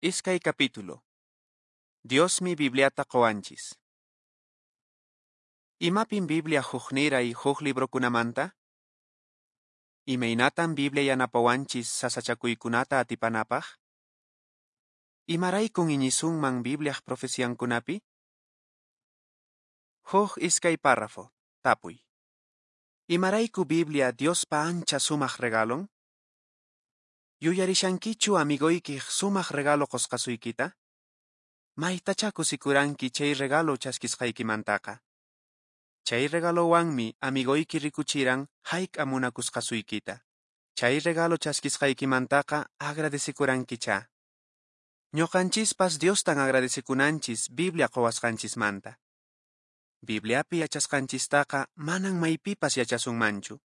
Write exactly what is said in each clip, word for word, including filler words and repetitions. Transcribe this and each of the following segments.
Iskay capítulo. Diosmi Bibliata qowanchis. Imapin Biblia hukniray huk librokunamanta? Imaynatan Biblia yanapawanchis sasachakuykunata atipanapaq? Imaraykun iñisunman Bibliaq profeciankunapi? Huk iskay párrafo. Tapuy. Imarayku Biblia Diospa ancha sumaq regalon? Yuyarishankichu amigoykiq sumaq regalo qosqasuykita? Maytachá kusikuranki chay regalo chaskisqaykimantaqa. Chay regalowanmi amigoyki rikuchiran hayk'a munakusqasuykita. Chay regalo chaskisqaykimantaqa agradecekurankichá. Ñuqanchispas Diostan agradecekunanchis Biblia qowasqanchismanta. Bibliapi yachasqanchistaqa manan maypipas yachasunmanchu.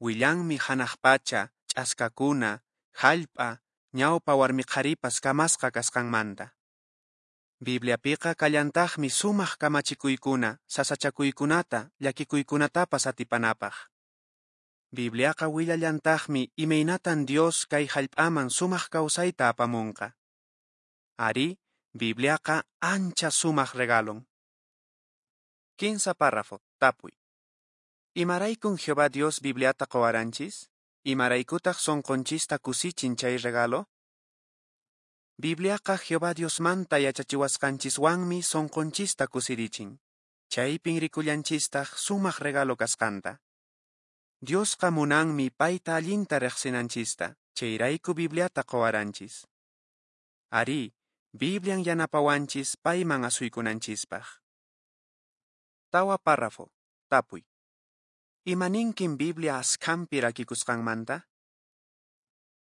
Willanmi hanaq pacha, ch'askakuna, hallp'a, ñawpa warmiqharipas kamasqa kasqanmanta. Bibliapiqa kallantaqmi sumaq kamachikuykuna, sasachakuykunata, llakikuykunatapas atipanapaq. Bibliaqa willallantaqmi imaynatan Dios kay hallp'aman sumaq kawsayta apamunqa. Arí, Bibliaqa ancha sumaq regalon. Kinsa párrafo. Tapuy. Imaraykun Jehová Dios Bibliata qowaranchis? Imaraykutaq sonqonchista kusichin chay regalo? Bibliaqa Jehová Diosmanta yachachiwasqanchiswanmi sonqonchista kusirichin. Chaypin rikullanchistaq sumaq regalo kasqanta. Diosqa munanmi payta allinta riqsinanchista, chayrayku Bibliata qowaranchis. Arí, Biblian yanapawanchis payman asuykunanchispaq. Tawa párrafo. Tapuy. Imaninkin Biblia askhanpi rakikusqanmanta?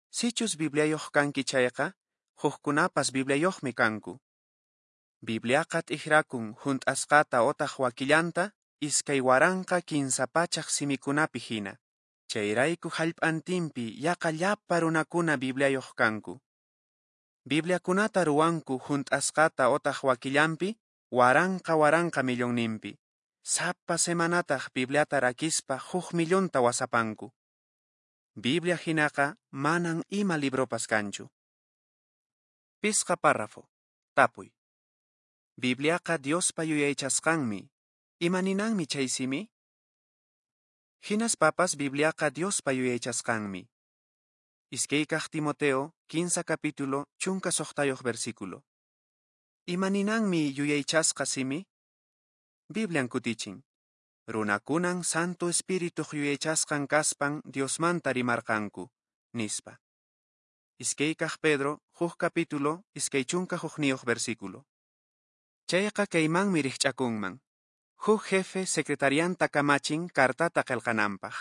Sichus Bibliayuq kanki chayqa, hukkunapas Bibliayuqmi kanku. Bibliaqa t'ikrakun hunt'asqata otaq wakillanta iskay waranqa kinsa pachaq simikunapi hina. Chayrayku hallp'antinpi yaqa llapa runakuna Bibliayuq kanku. Bibliakunata ruwanku hunt'asqata otaq wakillanpi waranqa waranqa millonninpi. Sapa semanataq Bibliata rakispa huk millonta wasapanku. Biblia hinaqa manan ima libropas kanchu. Pisqa párrafo. Tapuy. Bibliaqa Diospa yuyaychasqanmi. Imaninanmi chay simi? Hinaspapas Bibliaqa Diospa yuyaychasqanmi. Iskaykaq Timoteo, kinsa capítulo, chunka suqtayuq versículo. Imaninanmi yuyaychasqa simi? Biblian kutichin. Runakunan Santo Espirituq yuyaychasqan kaspan Diosmanta rimarqanku, nispa. Iskaykaq Pedro, huk capítulo, iskay chunka hukniyuq versículo. Chayqa kaymanmi rikch'akunman. Huk jefe secretarianta kamachin kartata qillqananpaq.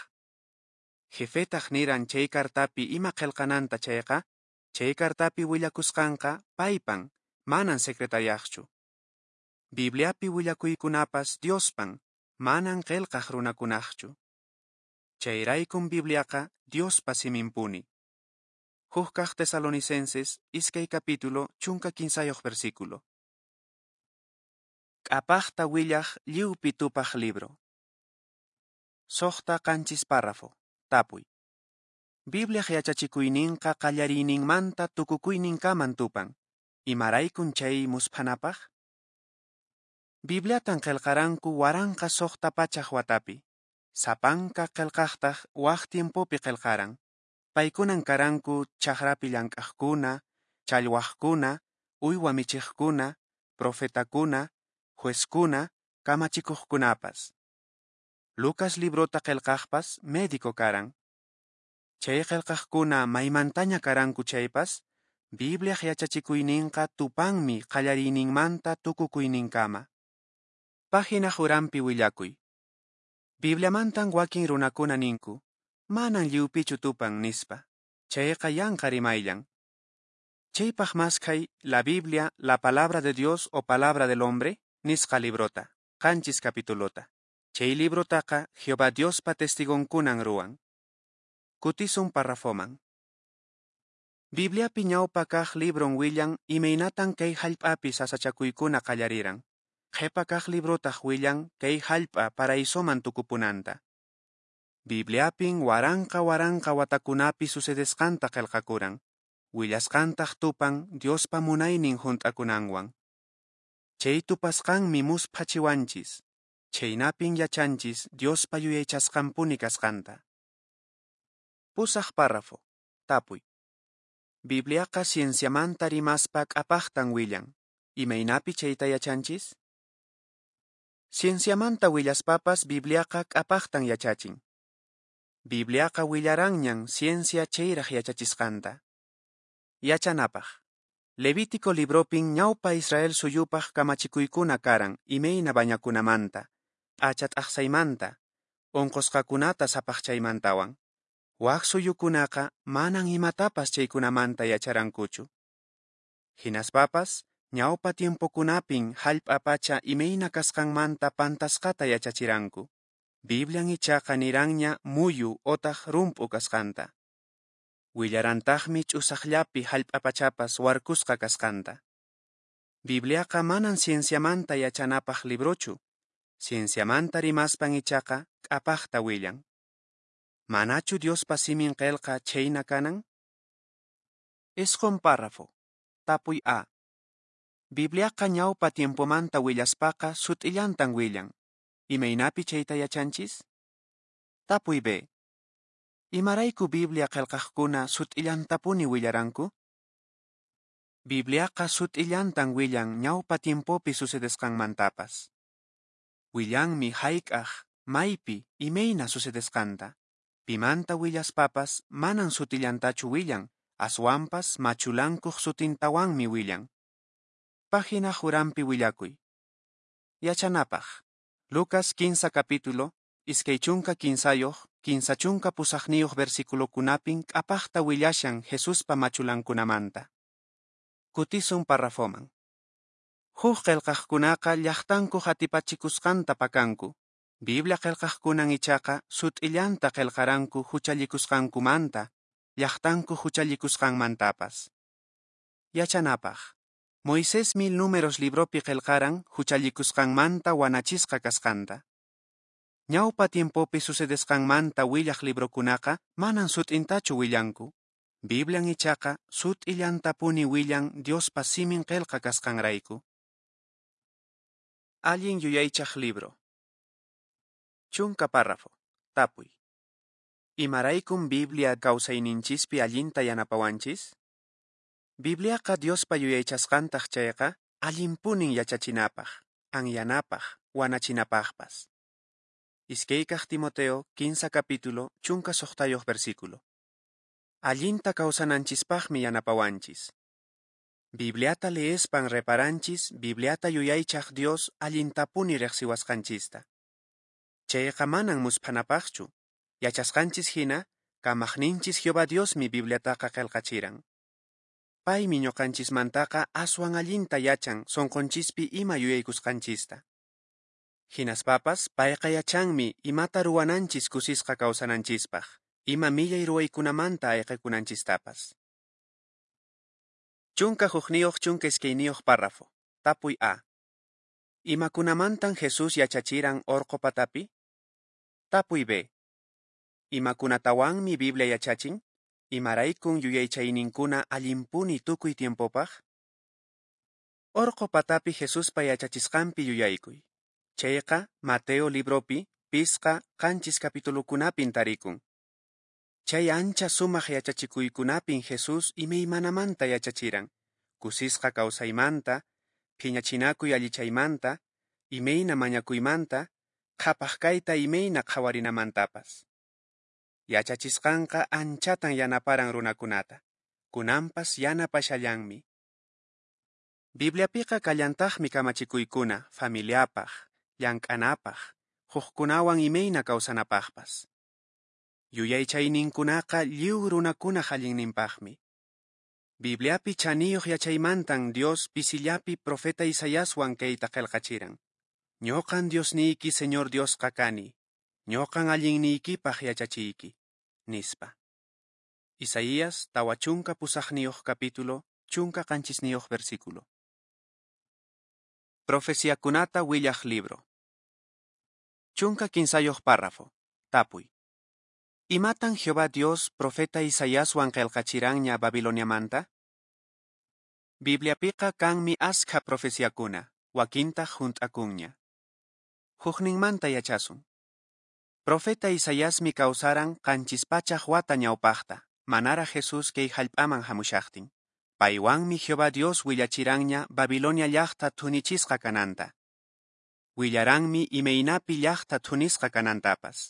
Jefetaq niran chay kartapi ima qillqananta chayqa, chay kartapi willakusqanqa paypan, manan secretariaqchu. Bibliapi willakuykunapas Diospan, manan qillqaq runakunaqchu. Chayraykun Bibliaqa Diospa siminpuni. Huk kaq Tesalonicenses, iskay capítulo, chunka kinsayuq versículo. K'apaqta willaq lliwpi tupaq libro. Suqta qanchis párrafo. Tapuy. Bibliaq yachachikuyninqa qallariyninmanta tukukuyninkaman tupan. Imaraykun chay musphanapaq? Bibliatan qillqaranku waranqa suqta pachaq watapi. Sapanka qillqaqtaq waq tiempopi qillqaran. Paykunan karanku chakrapi llank'aqkuna, challwaqkuna, uywa michiqkuna, profetakuna, juezkuna, kamachikuqkunapas. Lucas librota qillqaqpas médico karan. Chay qillqaqkuna maymantaña karanku chaypas, Bibliaq yachachikuyninqa tupanmi qallariyninmanta tukukuyninkama. Página uranpi willakuy. Bibliamantan wakin runakuna ninku, manan lliwpichu tupan nispa. Chayqa yanqa rimayllan. Chaypaq maskhay La Biblia, la palabra de Dios o palabra del hombre, nisqa librota, qanchis capitulota. Chay librotaqa Jehová Diospa testigonkunan ruwan. Kutisun parrafoman. Bibliapi ñawpa kaq libron willan imaynatan kay hallp'api sasachakuykuna qallariran. Qhipa kaq librotaq willan kay hallp'a paraisoman tukupunanta. Bibliapin waranqa waranqa watakunapi sucedesqanta qillqakuran. Willasqantaq tupan Diospa munaynin hunt'akunanwan. Chay tupasqanmi musphachiwanchis, chhaynapin yachanchis Diospa yuyaychasqanpuni kasqanta. Pusaq párrafo. Tapuy. Bibliaqa cienciamanta rimaspa k'apaqtan willan. Imaynapi chayta yachanchis? Cienciamanta willaspapas Bibliaqa k'apaqtan yachachin. Bibliaqa willaranñan ciencia chayraq yachachisqanta. Yachanapaq. Levítico libropin ñawpa Israel suyupaq kamachikuykuna karan imayna bañakunamanta, p'acha t'aqsaymanta, unqusqakunata sapaqchaymantawan. Wak suyukunaqa manan imatapas chaykunamanta yacharankuchu. Hinaspapas, ñawpa tiempokunapin hallp'a pacha imayna kasqanmanta pantasqata yachachiranku. Biblian ichaqa niranña muyu otaq rump'u kasqanta. Willarantaqmi ch'usaqllapi hallp'a pachapas warkusqa kasqanta. Bibliaqa manan cienciamanta yachanapaq librochu. Cienciamanta rimaspan ichaqa k'apaqta willan. Manachu Diospa simin qelqa chhayna kanan? Isqun párrafo. Tapuy A. Bibliaqa ñawpa tiempomanta willaspaqa sut'illantan willan. Imaynapi chayta yachanchis? Tapuy B. Imarayku Biblia qelqaqkuna sut'illantapuni willaranku? Bibliaqa sut'illantan willan ñawpa tiempopi sucedesqanmantapas. Willanmi hayk'aq, maypi, imayna sucedesqanta. Pimanta willaspapas manan sutillantachu willan, aswanpas machulankuq sutintawanmi willan. Página jurampi willakuy. Yachanapaq. Lucas kinsa capítulo, iskay chunka kinsayuq, kinsa chunka pusaqniyuq versiculokunapin k'apaqta willashan Jesuspa machulankunamanta. Kutisun parrafoman. Huk qelqaqkunaqa llaqtankuq atipachikusqanta pakanku. Biblia qelqaqkunan ichaqa sut'illanta qelqaranku huchallikusqankumanta, llaqtanku huchallikusqanmantapas. Yachanapaq. Moisés mil números libropi qelqaran huchallikusqanmanta wanachisqa kasqanta. Ñawpa tiempopi sucedesqanmanta willaq librokunaqa manan sut'intachu willanku. Biblian ichaqa sut'illantapuni willan Diospa simin qelqa kasqanrayku. Allin yuyaychaq libro. Chunka párrafo. Tapuy. Imaraykum Biblia kawsayninchispi allinta yanapawanchis? Bibliaqa Diospa yuyaychasqantaq chayqa allinpunin yachachinapaq, anyanapaq, wanachinapaqpas. Iskaykaq Timoteo, kinsa capítulo, chunka suqtayuq versículo. Allinta kawsananchispaqmi yanapawanchis. Bibliata leespan reparanchis Bibliata yuyaychaq Dios allintapuni riqsiwasqanchista. Chayqa manan musphanapaqchu. Yachasqanchis hina, kamaqninchis Jehová Diosmi Bibliataqa qelqachiran. Paymi ñuqanchismantaqa aswan allinta yachan sunqunchispi ima yuyaykusqanchista. Hinaspapas payqa yachanmi imata ruwananchis kusisqa kawsananchispaq, ima millay ruwaykunamanta ayqikunanchistapas. Chunka hukniyuq chunka iskayniyuq párrafo. Tapuy A. Imakunamantan Jesús yachachiran orqo patapi? Tapuy B. Imakunatawanmi Biblia yachachin? Imaraykun yuyaychayninkuna allinpuni tukuy tiempopaq? Orqo patapi Jesuspa yachachisqanpi yuyaykuy. Chayqa Mateo libropi pisqa qanchis capitulukunapin tarikun. Chay ancha sumaq yachachikuykunapin Jesús imaymanamanta yachachiran, kusisqa kawsaymanta, phiñachinakuy allichaymanta, imayna mañakuymanta, qhapaq kayta imayna qhawarinamantapas. Yachachisqanqa anchatan yanaparan runakunata, kunanpas yanapashallanmi. Bibliapiqa kallantaqmi kamachikuykuna familiapaq, llank'anapaq, hukkunawan imayna kawsanapaqpas. Yuyaychayninkunaqa lliw runakunaq allinninpaqmi. Bibliapi chaniyuq yachaymantan Dios pisillapi profeta Isaiaswan kayta qelqachiran. Ñuqan Diosniyki Señor Diosqa kani, ñuqan allinniykipaq yachachiyki, nispa. Isaías tawa chunka pusaqniyuq capítulo, chunka qanchisniyuq versículo. Profeciakunata willaq libro. Chunka kinsayuq párrafo. Tapuy. Imatan Jehová Dios profeta Isaiaswan qelqachiranña Babiloniamanta? Bibliapiqa kanmi askha profeciakuna, wakintaq hunt'akunña. Hukninmanta yachasun. Profeta Isaiasmi kawsaran qanchis pachak wata ñawpaqta, manaraq Jesús kay hallp'aman hamushaqtin. Paywanmi Jehová Dios willachiranña Babilonia llaqta thunichisqa kananta. Willaranmi imaynapi llaqta thunisqa kanantapas.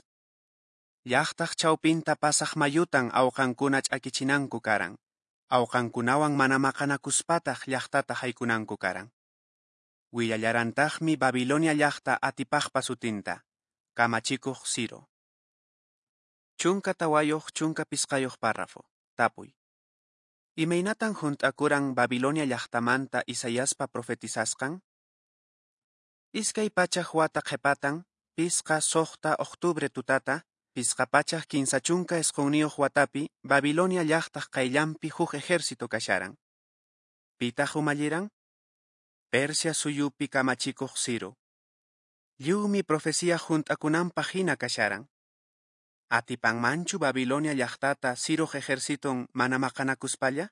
Llaqtaq chawpinta pasaq mayutan awqankuna ch'akichinanku karan. Awqankunawan mana maqanakuspataq llaqtata haykunanku karan. Willallarantaqmi Babilonia llaqta atipaqpa sutinta, kamachikuq Ciro. Chunka tawayuq chunka pisqayuq párrafo. Tapuy. Imaynatan hunt'akuran Babilonia llaqtamanta Isaiaspa profetizasqan? Iskay pachak wata qhipatan, pisqa suqta octubre tutata, pisqa pachak kinsa chunka isqunniyuq watapi Babilonia llaqtaq qayllanpi huk ejército kasharan. Pitaq umalliran? Persia suyupi kamachikuq Ciro. Lliwmi profecía hunt'akunanpaq hina kasharan. Atipanmanchu Babilonia llaqtata Ciroq ejerciton mana maqanakuspalla?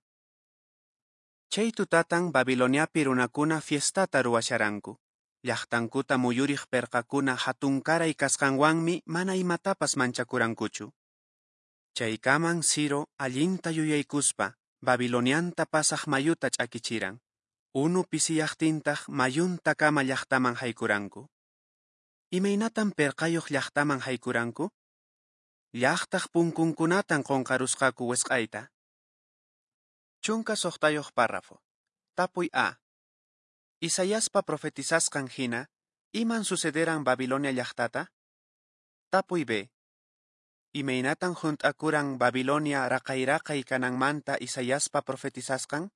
Chay tutatan Babiloniapi runakuna fiestata ruwasharanku. Llaqtankuta muyuriq perqakuna hatunkaray kasqanwanmi mana imatapas manchakurankuchu. Chaykaman Ciro allinta yuyaykuspa Babilonianta pasaq mayuta ch'akichiran. Unu pisiyaqtintaq mayuntakama llaqtaman haykuranku. Imaynatan perqayuq llaqtaman haykuranku? Llaqtaq punkunkunatan qunqarusqaku wisq'ayta. Chunka suqtayuq párrafo. Tapuy A. Isaiaspa profetizasqan hina, iman sucederan Babilonia llaqtata? Tapuy B. Imaynatan hunt'akuran Babilonia raqay-raqay kananmanta Isaiaspa profetizasqan?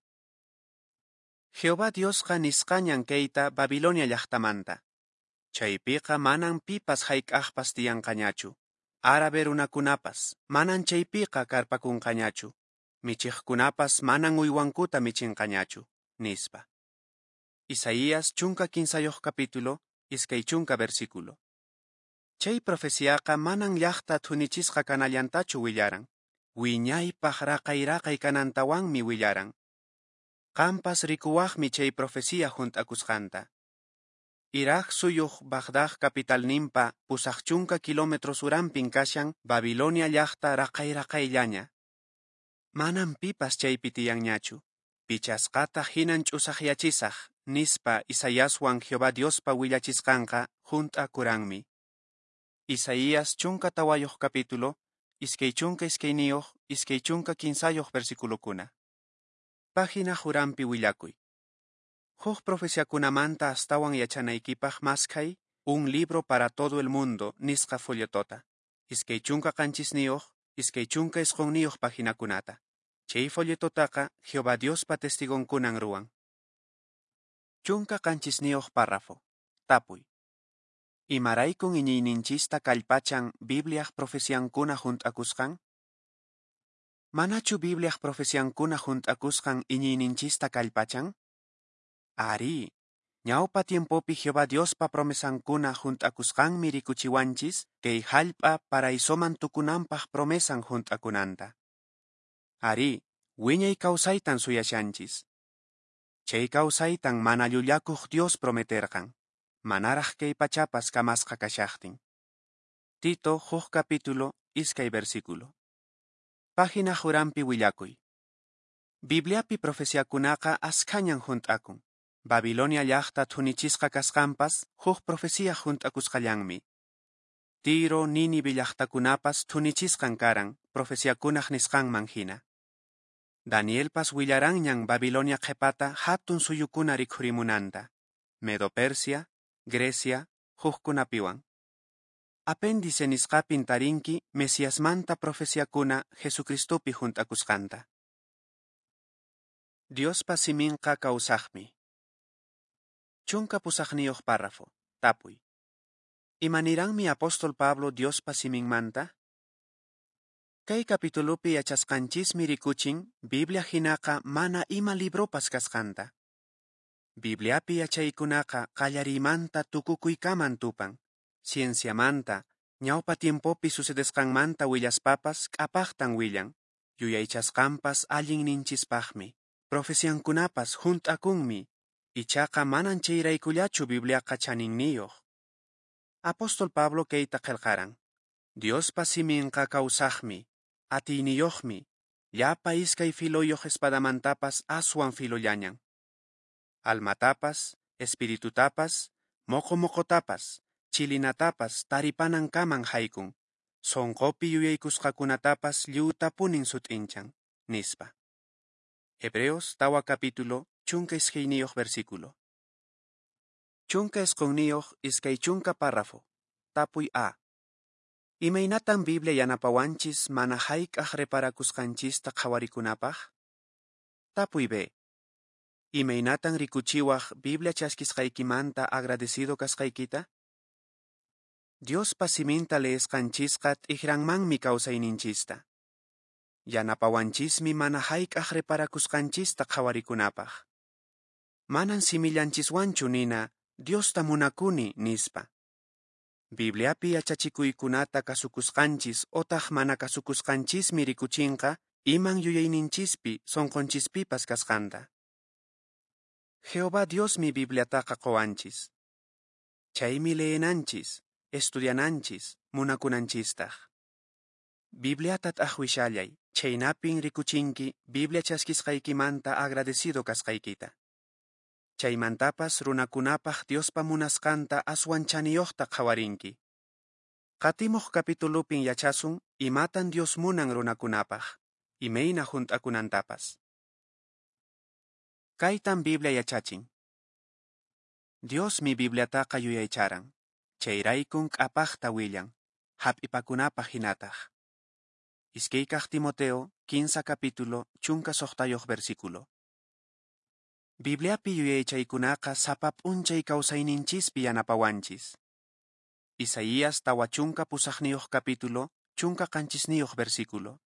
Jehová Diosqa nisqañan kayta Babilonia llaqtamanta. Chaypiqa manan pipas hayk'aqpas tiyanqañachu. Árabe runakunapas manan chaypiqa karpakunqañachu. Michiqkunapas manan uywankuta michinqañachu, nispa. Isaías chunka kinsayuq capítulo, iskay chunka versículo. Chay profeciaqa manan llaqta thunichisqa kanallantachu willaran. Wiñaypaq raqay-raqay kanantawanmi willaran. Qampas rikuwaqmi chay profecía hunt'akusqanta. Irak suyuq Bagdad capitalninpa pusaq chunka kilómetros uranpin kashan Babilonia llaqta raqay-raqayllaña. Manan pipas chaypi tiyanñachu. Pichasqata hinan ch'usaqyachisaq, nispa Isaiaswan Jehová Diospa willachisqanqa hunt'akuranmi. Isaías chunka tawayuq capítulo, iskay chunka iskayniyuq, iskay chunka kinsayuq versiculokuna. Página uranpi willakuy. Huk profeciakunamanta astawan yachanaykipaq maskhay Un libro para todo el mundo nisqa folletota. Iskay chunka qanchisniyuq, iskay chunka isqunniyuq paginakunata. Chay folletotaqa Jehová Diospa testigonkunan ruwan. Chunka qanchisniyuq párrafo. Tapuy. Imaraykun iñiyninchista kallpachan Bibliaq profeciankuna hunt'akusqan? Manachu Bibliaq profeciankuna hunt'akusqan iñiyninchista kallpachan? Ari, ñawpa tiempopi Jehová Diospa promesankuna hunt'akusqanmi rikuchiwanchis kay hallp'a paraisoman tukunanpaq promesan hunt'akunanta. Ari, wiñay kawsaytan suyashanchis. Chay kawsaytan mana llullakuq Dios prometerqan, manaraq kay pachapas kamasqa kashaqtin. Tito huk capítulo, iskay versículo. Página uranpi willakuy. Bibliapi profeciakunaqa askhañan hunt'akun. Babilonia llaqta thunichisqa kasqanpas huk profecía hunt'akusqallanmi. Tiro, Nínive llaqtakunapas thunichisqan karan profeciakunaq nisqanman hina. Danielpas willaranñan Babilonia qhipata hatun suyukuna rikhurimunanta. Medo-Persia, Grecia, hukkunapiwan. Apéndice nisqapin tarinki Mesiasmanta profeciakuna Jesucristopi hunt'akusqanta. Diospa siminqa kawsaqmi. Chunka pusaqniyuq párrafo. Tapuy. Imaniranmi apóstol Pablo Diospa siminmanta? Kay kapitulupi yachasqanchismi rikuchin Biblia hinaqa mana ima libropas kasqanta. Bibliapi yachaykunaqa qallariymanta tukukuykaman tupan. Cienciamanta, Ñawpa tiempopi sucedesqanmanta willaspapas k'apaqtan willan, yuyaychasqanpas allinninchispaqmi, profeciankunapas hunt'akunmi, ichaqa manan chayraykullachu Bibliaqa chaninniyuq. Apóstol Pablo kayta qillqaran: Diospa siminqa kawsaqmi, atiyniyuqmi, llapa iskay filoyuq espadamantapas aswan filollañan. Almatapas, espiritutapas, moqo-moqotapas, chilinatapas taripanankaman haykun, sonqopi yuyaykusqakunatapas lliwtapunin sut'inchan, nispa. Hebreos tawa capítulo, chunka iskayniyuq versículo. Chunka isqunniyuq iskay chunka párrafo. Tapuy A. Imaynatan Biblia yanapawanchis mana hayk'aq reparakusqanchista qhawarikunapaq? Tapuy B. Imaynatan rikuchiwaq Biblia chaskisqaykimanta agradecido kasqaykita? Diospa siminta leesqanchisqa t'ikranmanmi kawsayninchista. Yanapawanchismi mana hayk'aq reparakusqanchista qhawarikunapaq. Manan simillanchiswanchu nina Diosta munakuni nispa. Bibliapi yachachikuykunata kasukusqanchis otaq mana kasukusqanchismi rikuchinqa iman yuyayninchispi sonqonchispipas kasqanta. Jehová Diosmi Bibliataqa qowanchis. Chaymi leenanchis, estudiananchis, munakunanchistaq. Bibliata t'aqwishallay, chaynapin rikuchinki Biblia chaskisqaykimanta agradecido kasqaykita. Chaymantapas runakunapaq Diospa munasqanta aswan chaniyuqta qhawarinki. Qatimuq capitulupin yachasun imatan Dios munan runakunapaq, imayna hunt'akunantapas. Kaytan Biblia yachachin. Diosmi Bibliataqa yuyaycharan, chayraykun k'apaqta willan, hap'ipakunapaq hinataq. Iskaykaq Timoteo, kinsa capítulo, chunka suqtayuq versículo. Bibliapi yuyaychaykunaqa sapa p'unchay kawsayninchispi yanapawanchis. Isaías tawa chunka pusaqniyuq capítulo, chunka qanchisniyuq versículo.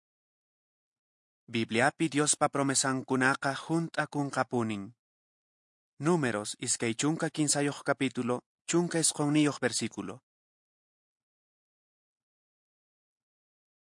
Bibliapi Diospa promesankunaqa hunt'akunqapunin. Números iskay chunka kinsayuq capítulo, chunka isqunniyuq versículo.